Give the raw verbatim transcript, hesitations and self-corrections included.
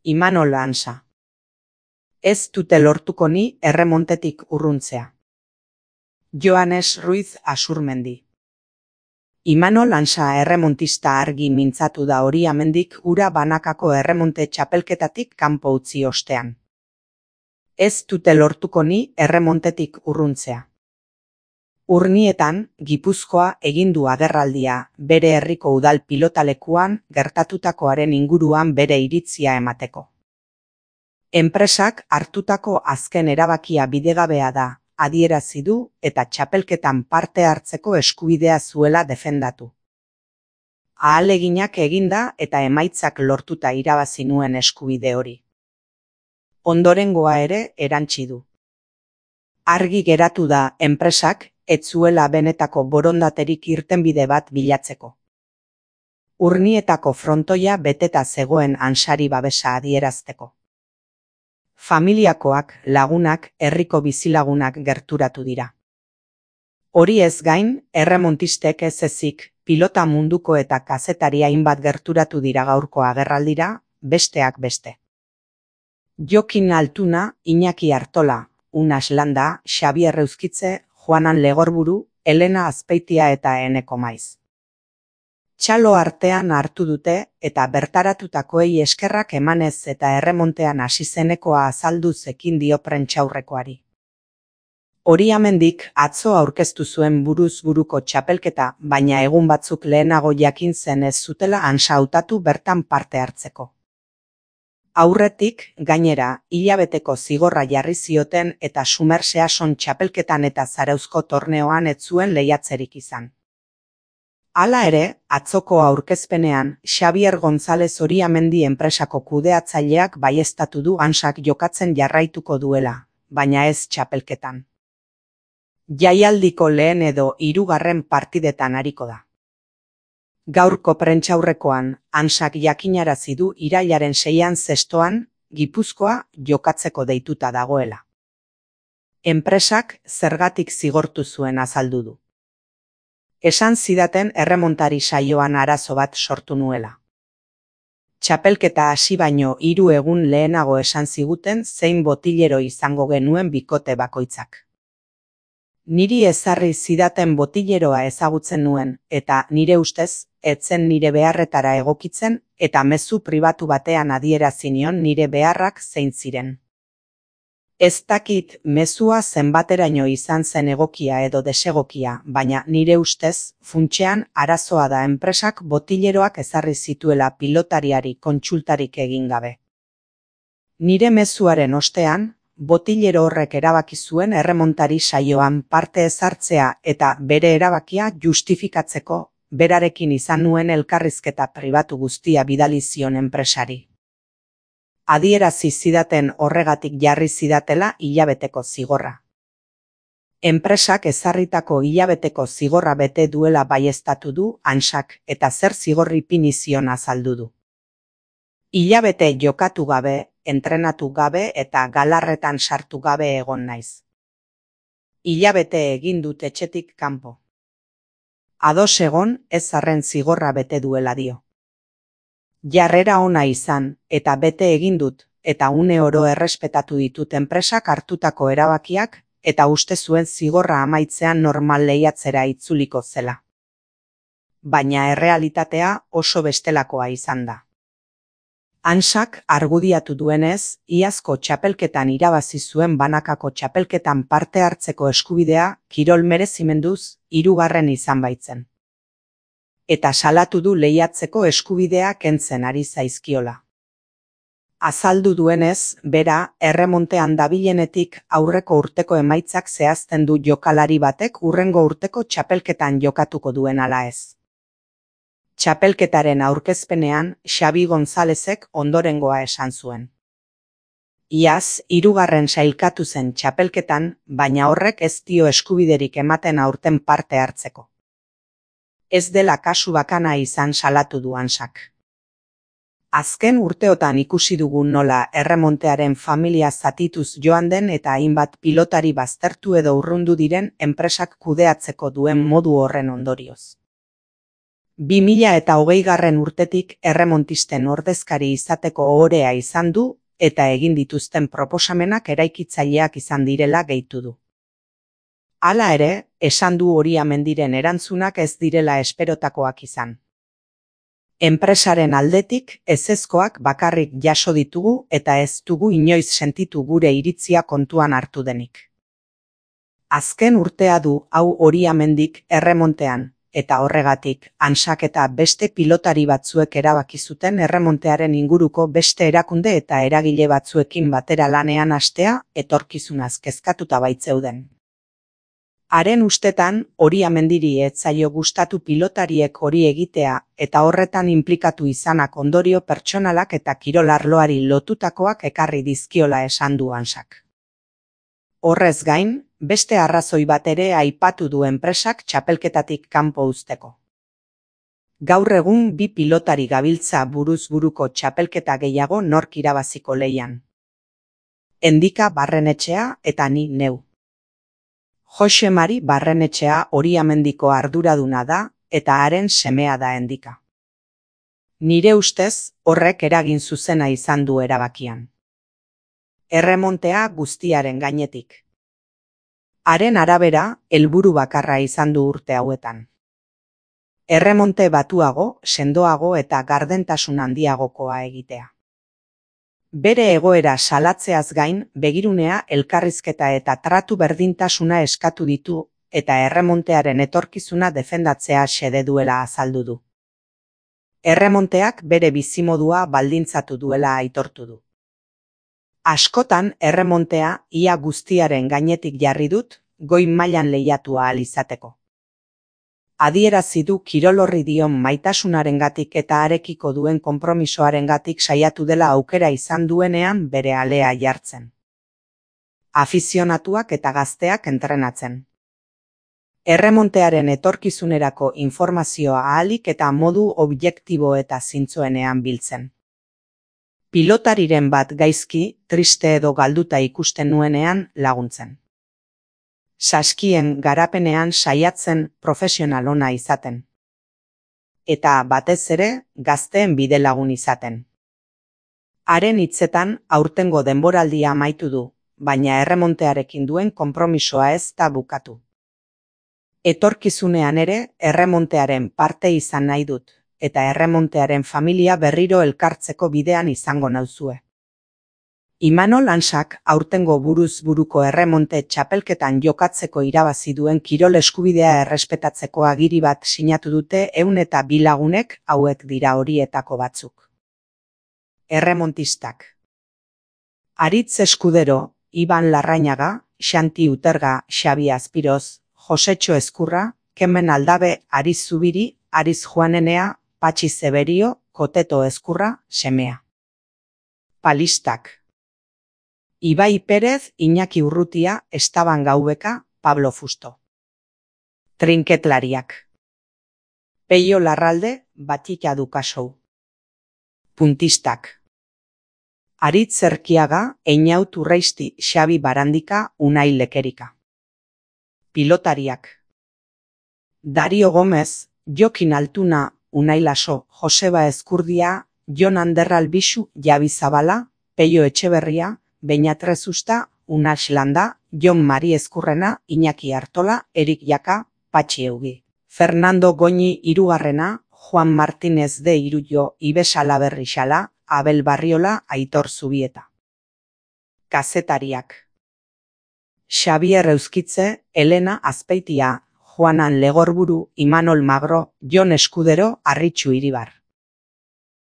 Imanol Ansa. Ez dute lortuko ni erremontetik urruntzea. Joanes Ruiz Asurmendi. Imanol Ansa erremontista argi mintzatu da Oriamendik ura banakako erremonte txapelketatik kanpo utzi ostean. Ez dute lortuko ni erremontetik urruntzea. Urnietan, Gipuzkoa egin du agerraldia bere herriko udal pilotalekuan gertatutakoaren inguruan bere iritzia emateko. Enpresak hartutako azken erabakia bidegabea da, adierazi du eta txapelketan parte hartzeko eskubidea zuela defendatu. Ahaleginak eginda eta emaitzak lortuta irabazi nuen eskubide hori. Ondorengoa ere erantsi du. Argi geratu da enpresak ez zuela benetako borondaterik irtenbide bat bilatzeko. Urnietako frontoia beteta zegoen Ansari babesa adierazteko. Familiakoak, lagunak, herriko bizilagunak gerturatu dira. Hori ez gain, erremontistek ez ezik, pilota munduko eta kazetari hainbat gerturatu dira gaurko agerraldira, besteak beste. Jokin Altuna, Iñaki Artola, Unas Landa, Xabier Euskitze, Juanan Legorburu, Elena Azpeitia eta Eneko Maiz. Txalo artean hartu dute eta bertaratutakoei eskerrak emanez eta erremontean hasi zenekoa azalduz ekin dio prentsaurrekoari. Oriamendik atzo aurkeztu zuen buruz buruko txapelketa, baina egun batzuk lehenago jakin zen ez zutela Ansa hautatu bertan parte hartzeko. Aurretik, gainera, hilabeteko zigorra jarri zioten eta Sumerseason txapelketan eta Zarauzko torneoan ez zuen lehiatzerik izan. Hala ere, atzoko aurkezpenean, Xabier González Oriamendi enpresako kudeatzaileak baieztatu du Ansak jokatzen jarraituko duela, baina ez txapelketan. Jaialdiko lehen edo hirugarren partidetan ariko da. Gaurko prentsaurrekoan, Ansak jakinarazi du irailaren seian zestoan, Gipuzkoa jokatzeko deituta dagoela. Enpresak zergatik zigortu zuen azaldu du. Esan zidaten erremontari saioan arazo bat sortu nuela. Txapelketa hasi baino hiru egun lehenago esan ziguten zein botillero izango genuen bikote bakoitzak. Niri ezarri zidaten botileroa ezagutzen nuen, eta nire ustez, etzen nire beharretara egokitzen, eta mezu pribatu batean adierazi nion nire beharrak zein ziren. Ez dakit mezua zenbateraino izan zen egokia edo desegokia, baina nire ustez, funtsean arazoa da enpresak botileroak ezarri zituela pilotariari kontsultarik egin gabe. Nire mezuaren ostean, botillero horrek erabaki zuen erremontari saioan parte ez hartzea eta bere erabakia justifikatzeko, berarekin izan nuen elkarrizketa pribatu guztia bidali zion enpresari. Adierazi zidaten horregatik jarri zidatela hilabeteko zigorra. Enpresak ezarritako hilabeteko zigorra bete duela baieztatu du Ansak eta zer zigorri ipini zion azaldu du. Hilabete jokatu gabe, entrenatu gabe eta galarretan sartu gabe egon naiz. Hilabete egin dut etxetik kanpo. Ados egon ez arren zigorra bete duela dio. Jarrera ona izan, eta bete egin dut, eta une oro errespetatu ditut enpresak hartutako erabakiak, eta uste zuen zigorra amaitzean normal lehiatzera itzuliko zela. Baina errealitatea oso bestelakoa izan da. Ansak argudiatu duenez, iazko txapelketan irabazi zuen banakako txapelketan parte hartzeko eskubidea, kirol merezimenduz, hirugarren izan baitzen. Eta salatu du lehiatzeko eskubidea kentzen ari zaizkiola. Azaldu duenez, bera, erremontean dabilenetik aurreko urteko emaitzak zehazten du jokalari batek hurrengo urteko txapelketan jokatuko duen ala ez. Txapelketaren aurkezpenean, Xabi Gonzálezek ondorengoa esan zuen. Iaz, hirugarren sailkatu zen txapelketan, baina horrek ez dio eskubiderik ematen aurten parte hartzeko. Ez dela kasu bakana izan salatu du Ansak. Azken urteotan ikusi dugu nola erremontearen familia zatituz joan den eta hainbat pilotari baztertu edo urrundu diren enpresak kudeatzeko duen modu horren ondorioz. bi mila eta hogeigarren urtetik erremontisten ordezkari izateko ohorea izan du eta egin dituzten proposamenak eraikitzaileak izan direla gehitu du. Hala ere, esan du Oriamendiren erantzunak ez direla esperotakoak izan. Enpresaren aldetik ezezkoak bakarrik jaso ditugu eta ez dugu inoiz sentitu gure iritzia kontuan hartu denik. Azken urtea du hau Oriamendik erremontean, eta horregatik Ansak eta beste pilotari batzuek erabaki zuten erremontearen inguruko beste erakunde eta eragile batzuekin batera lanean hastea etorkizunaz kezkatuta baitzeuden. Haren ustetan, Oriamendiri ez zaio gustatu pilotariek hori egitea eta horretan inplikatu izanak ondorio pertsonalak eta kirol arloari lotutakoak ekarri dizkiola esan du Ansak. Horrez gain, beste arrazoi bat ere aipatu du enpresak txapelketatik kanpo uzteko. Gaur egun bi pilotari gabiltza buruz buruko txapelketa gehiago nork irabaziko lehian. Endika Barrenetxea eta ni neu. Jose Mari Barrenetxea Oriamendiko arduraduna da eta haren semea da Endika. Nire ustez horrek eragin zuzena izan du erabakian. Erremontea guztiaren gainetik. Haren arabera, helburu bakarra izan du urte hauetan. Erremonte batuago, sendoago eta gardentasun handiagokoa egitea. Bere egoera salatzeaz gain, begirunea, elkarrizketa eta tratu berdintasuna eskatu ditu eta erremontearen etorkizuna defendatzea xede duela azaldu du. Erremonteak bere bizimodua baldintzatu duela aitortu du. Askotan erremontea ia guztiaren gainetik jarri dut, goi mailan lehiatu ahal izateko. Adierazi du kirol horri dion maitasunarengatik eta harekiko duen konpromisoarengatik saiatu dela aukera izan duenean bere alea jartzen. Afizionatuak eta gazteak entrenatzen. Erremontearen etorkizunerako informazioa ahalik eta modu objektibo eta zintzoenean biltzen. Pilotariren bat gaizki, triste edo galduta ikusten nuenean laguntzen. Saskien garapenean saiatzen profesional ona izaten. Eta batez ere, gazteen bidelagun izaten. Haren hitzetan aurtengo denboraldia amaitu du, baina erremontearekin duen konpromisoa ez da bukatu. Etorkizunean ere, erremontearen parte izan nahi dut, eta erremontearen familia berriro elkartzeko bidean izango nauzue. Imanol Ansak aurtengo buruz buruko erremonte txapelketan jokatzeko irabazi duen kirol eskubidea errespetatzeko agiri bat sinatu dute ehun eta bi lagunek, hauek dira horietako batzuk. Erremontistak. Aritz Eskudero, Iban Larrañaga, Xanti Uterga, Xabi Azpiroz, Josetxo Ezkurra, Kemen Aldabe, Ariz Zubiri, Ariz Juanenea, Patxi Zeberio, Koteto Ezkurra, semea. Palistak. Ibai Perez, Iñaki Urrutia, Estaban Gaubeka, Pablo Fusto. Trinketlariak. Peio Larralde, Batxita Dukasou. Puntistak. Aritz Erkiaga, Einaut Urreisti, Xabi Barandika, Unai Lekerika. Pilotariak. Dario Gomez, Jokin Altuna, Unai Laso, Joseba Ezkurdia, Jon Anderral Bixu, Jabi Zabala, Peio Etxeberria, Beñatrez Usta, Unax Landa, Jon Mari Ezkurrena, Iñaki Artola, Erik Jaka, Patxi Eugi. Fernando Goñi Hirugarrena, Juan Martínez de Irullo, Ibesa Laberrixala, Abel Barriola, Aitor Zubieta. Kazetariak. Xabier Euskitze, Elena Azpeitia, Juanan Legorburu, Imanol Magro, Jon Eskudero, Arritxu Iribar.